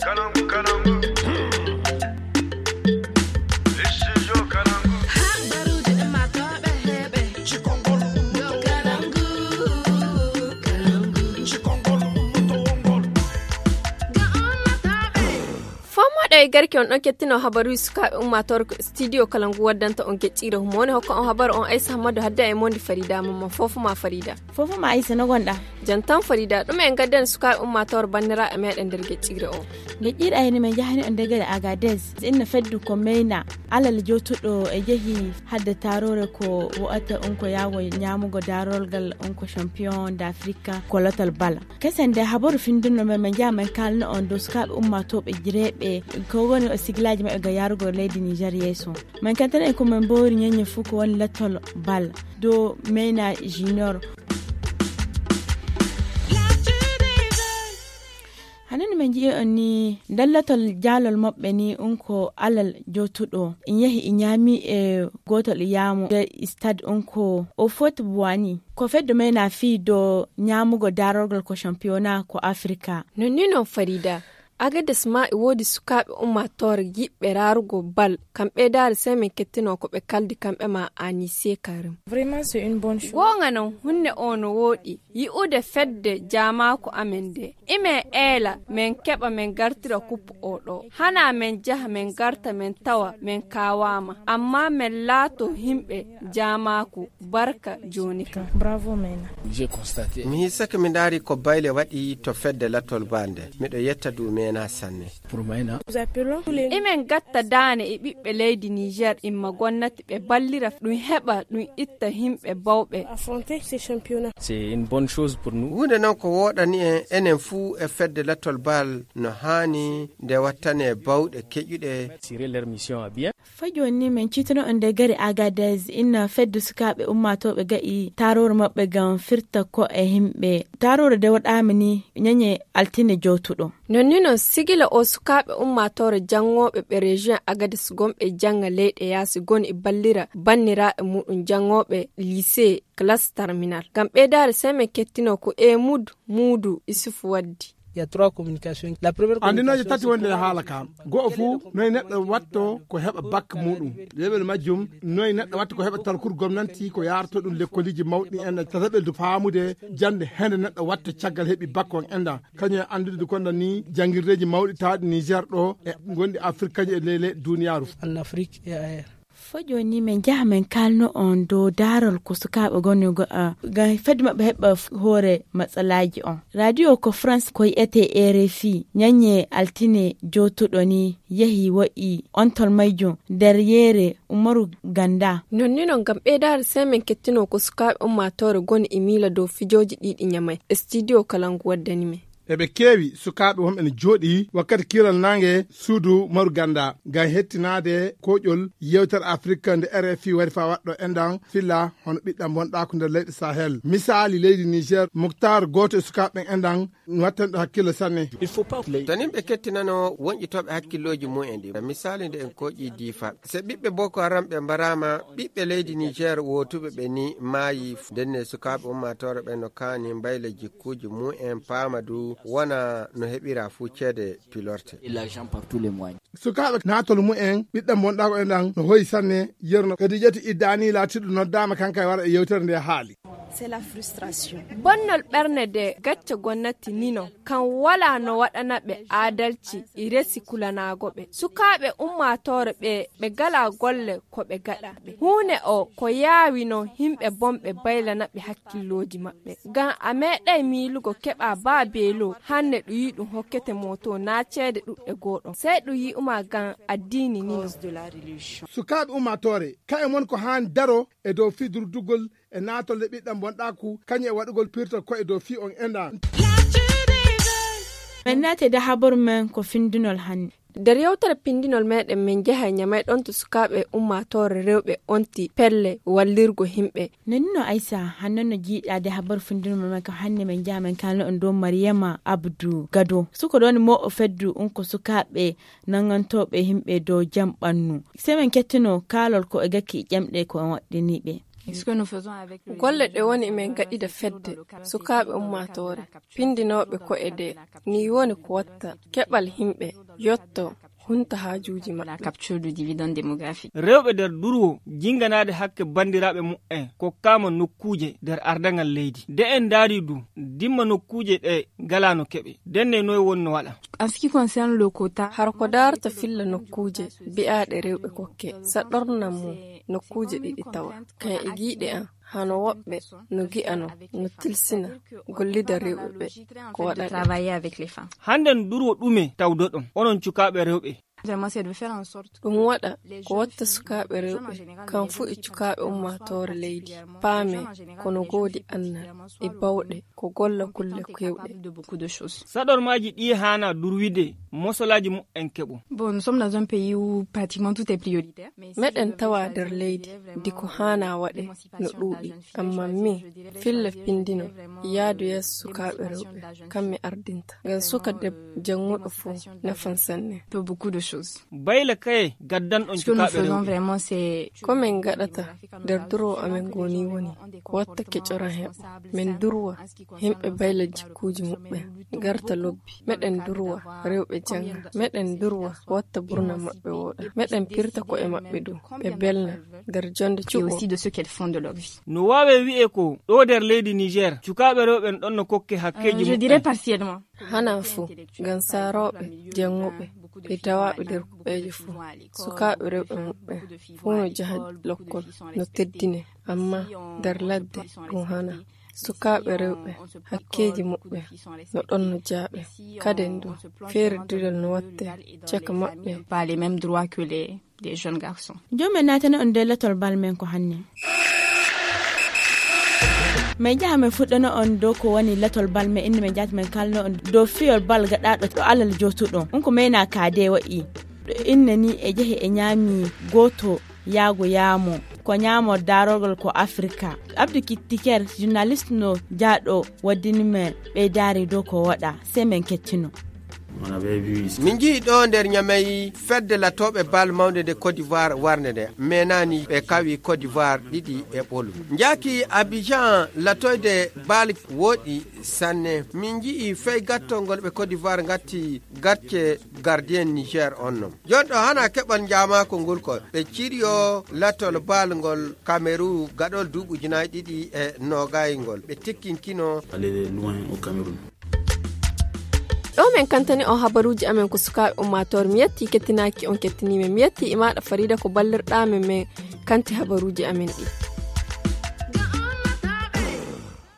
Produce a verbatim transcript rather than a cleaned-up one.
Fomoɗo e garki on ɗon kettino habaruji sukaaɓe ummaatoore ko studio kala ngu waddanta on geccire humone hokka on habaru on aysa hammadu hadda e mondi farida mamman fofo ma farida. Fofo ma aysa no gonɗa? Jantan farida ɗum en gadden sukaaɓe ummaatoore banniraaɓe meɗen nder geccire o. Geccire ayni men jahani on degere agades inna feddu ko meyna alal jowtuɗo e jehi hadde taarore ko wo'ata on ko yaawo ñaamugo daarolgal on ko champion d'afrique ko lotal bala. Kesen nde habaru findunno men men jaa men kalno on dow sukaaɓe ummatooɓe jireeɓe ko woni o sigilaaji maɓɓe ga yarugo leydi niger yeeso. Men kentana en ko men mbowri ñeñe fuu ko woni lettol bal dow meyna junior. Hanani men nji'i on ni ndallatol jaalol maɓɓe ni un ko alal jootuɗo in yahi in ñaami e gootol iyaamu nder stade un ko o foti buwani ko feddo meyna fii do ñaamugo daarorgol ko championnat ko afrika. Nonni non farida. Agades ma e woodi sukaaɓe ummaatoore yiɓɓe raarugo bal kam ɓeydaare sey min kettino ko ɓe kaldi kamɓe ma anise karim. Goonga non hunne o no wooɗi yi'ude fedde jaamaaku amen nde. Imen eela men keɓa men gartira kuppu o ɗo hana men jaha men garta men tawa men kaawaama amma men laato himɓe jaamaaku. Barka jooni kam. Mi hisake mi ndaari ko bayle waɗi to fedde lattol bal nde. Miɗo yetta du mena sanne. Imen gatta daane e ɓiɓɓe leydi niger imma gonnati ɓe ballira ɗum heɓa ɗum itta himɓe bawɓe. Huunde noon ko wooɗani en enen fuu e fedde lattol bal no haani nde wattane bawɗe keƴuɗe. Fa jooni ni min ciitano on nder gari agadez inna fedde sukaaɓe ummaatooɓe ga'i taaroore maɓɓe ngam firta ko e himɓe taaroore nde waɗaama ni ñañe altine jowtuɗo. Non ni non sigila o sukaaɓe ummaatoore janngooɓe ɓe région agadez gonɓe jannga leyɗe yaasi goni e ballira banniraaɓe muɗum janngooɓe lycée classe terminal ngam ɓeydaare sey min kettino ko emud muudu isufu waddi. Andinooje tati wonde e haala ka go'o fuu noy neɗɗo watto ko heɓa bak muɗum. Leɓel majjum noy neɗɗo watta ko heɓa talkur gomnanti ko yaarto ɗum lekkoliji mawɗi en tataɓel du faamude jande hende neɗɗo watta caggal heɓi bak on enda kañum e andude du konda ni jangirdeji mawɗi tawɗi niger ɗo e gonɗi afrique kañum e ley leyɗe duniyaaru. Fo jooni min njaha min kaalno on dow daarol ko sukaaɓe ngoni ngam fedde maɓɓe heɓa hoore matsalaaji on. Radio ko France ko yi'etee R F I ñannye altine jootuɗo ni yehi waɗi ontol majjum nder yeere Umaru Ganda. Non ni non ngam ɓeydaare sey min kettinoo ko sukaaɓe ummaatoore ngoni e miila dow fijooji ɗi ɗi ñamay e studio kala ngu waddani min. Eɓe keewi sukaaɓe wonɓe no jooɗii wakkati kiilal naange suudu Maru Ganda ngam hettinaade koƴol yeewtere Afirka nde R F I wari faa waɗɗo enɗan filla hono ɓiɗɗam wonɗaako nder leyɗe Sahel. Misaali leydi Niger, Muktar gooto e sukaaɓe ɓen enɗan wattanɗo hakkille sanne. Tanin ɓe kettinano woñƴitooɓe hakkillooji mum en ɗi. Misaali nde en koƴi diifa. Se ɓiɓɓe Boko Haram ɓe mbaraama, ɓiɓɓe leydi Niger wootuɓe ɓe ni maayi. Ndenne sukaaɓe ummaatoore ɓen no kaani mbayla jikkuuji mum en paama du wona no heɓira fuu ceede pilorte. Sukaaɓe naatol mum en ɓiɗɗam wonɗaako en ɗan no hoyi sanne yerno kadi ƴeti iddani laatiɗo noddaama kanka e wara e yewtere nde haali. Bonnol ɓernde nde gacce gonnati nino kan walaa no waɗana ɓe aadalci e resi kulanaago ɓe sukaaɓe ummaatoore ɓe ɓe galaa golle ko ɓe gaɗa ɓe huune o ko yaawi non himɓe bonɓe baylana ɓe hakkillooji maɓɓe ngam a meeɗay miilugo keɓa baa beelo hanne ɗum yi ɗum hokkete mooto naa ceede ɗuɗɗe gooɗon sey ɗum yi'uma ngam addiini nino. Sukaaɓe ummaatoore ka'e mon ko haani daro e dow fii durdugol e naatol nde ɓiɗɗam bonɗaaku kañum e waɗugol pirtal ko'e dow fii on enɗan. Min naati e nder habaru men ko findunol hannde. Nder yewtere pindinol meɗen min njaha e ñamay ɗon to sukaaɓe ummaatoore rewɓe onti pelle wallirgo himɓe. Nonno aysa hanno no jiiɗaade habaru findinol men ko hannde min njaha min kaalno on dow mariyama abdu gado suko ɗon mo o feddu on ko sukaaɓe nangantooɓe himɓe dow jam ɓannu. Sey min kettino kaalol ko e gakki ƴamɗe ko en waɗɗiniiɓe. Golle ɗe woni min gaɗida fedde sukaaɓe ummaatoore pindinooɓe ko'e de Ni woni ko watta keɓal yimɓe yotto hunta haajuuji maɓɓe. La capture du dividende démographique. Rewɓe nder durwo jinganaade hakke banndiraaɓe mu'en kokkaama nokkuuje nder ardaŋal leydi. Nde en ndaari du, dimma nokkuuje ɗe ngalaano keɓe. Ndenne noy wonno waɗa? En ce qui concerne le quota, hara ko daarta filla nokkuuje bi'aaɗe rewɓe kokke, saɗornan mo nokkuuje ɗiɗi tawa. Kan e giiɗe an, hano woɓɓe no gi'ano, no tilsina gollida rewɓe ɓe ko waɗa ɗe. Travailler avec les femmes. Hannden durwo ɗume tawdoɗon, onon cukaaɓe rewɓe? Vraiment, c'est de faire en sorte ɗum waɗa ko watta sukaaɓe rewɓe, kan fuu e cukaaɓe ummaatoore leydi, paame kono goodi annal e bawɗe ko golla kulle keewɗe. Saɗormaaji ɗi haana durwide, mosolaaji mu'en keɓo. Bon, nous sommes dans un pays où pratiquement tout est prioritaire. Meɗen tawa nder leydi ndi ko haana waɗe no ɗuuɗi, amma mi filla pindino yaadu yeeso sukaaɓe rewɓe, kam mi ardinta. Ngam suka debbo jannguɗo fof nafan sanne. Pour beaucoup de choses. Bayla kaye gaddanɗon cukaaɓe rewɓe? Ko min ngaɗata nder durwo amen ngoni woni ko watta kecoran heɓo. Min durwa yimɓe bayla jikkuuji muɓɓen garta lobbi. Meɗen durwa rewɓe jannga. Meɗen durwa watta burna maɓɓe wooɗa. Meɗen pirta ko'e maɓɓe dow ɓe belna nder jonnde cuɓo. No waawe wi'e ko ɗo nder leydi Niger cukaaɓe rewɓe en ɗon no kokke hakkeeji muɓɓen? Hana fuu, ngam saarooɓe, jannguɓe, e dawaaɓe nder kuɓeeje fuu, sukaaɓe rewɓe muɓɓen fuu no jaha lokkol, no teddine, amma nder ladde ɗum hana. Sukaaɓe rewɓe, hakkeeji muɓɓen no ɗon no jaaɓe. Kaden du, feere dudal no watte caka maɓɓe. Pas les mêmes droits que les, les jeunes garçons. Jooni men naatana on nder latol bal men ko hanne. Min njaha min fuɗɗana on dow ko woni latol bal men, inne min njaha min kalna on dow fiyol bal gaɗaaɗo ɗo alal jootuɗo. On ko meyna kaade waɗi. Ɗo inne ni e jehi e ñaami gooto yaago yaamo. Ko ñaamo daarorgol ko Afrika. Abdou Kitiker, journaliste no jaaɗo waddini men ɓeydaari dow ko waɗa. Sey men kettino. Min njii ɗo nder Ñamey fedde latooɓe bal mawnde nde Côte d'Ivoire warnde nde. Meenaani ɓe kawi Côte d'Ivoire ɗiɗi e ɓolu. Njaaki Abidjan latoyde bal wooɗi sanne. Min njii fey gattol ngol ɓe Côte d'Ivoire ngatti gacce gardien Niger on non. Jooni ɗo hana keɓal njaamaako ngol ko ɓe ciryo latol bal ngol Cameroun gaɗol duuɓi ujunaaji ɗiɗi e noogay ngol. Ɓe tikkinkino. Aller loin au Cameroun. Ɗo men kantani on habaruuji amen ko sukaaɓe ummaatoore. Mi yetti kettinaaki on kettiniiɓe. Mi yetti e maaɗa Farida ko ballirɗaa men, men kanti habaruuji amen ɗi.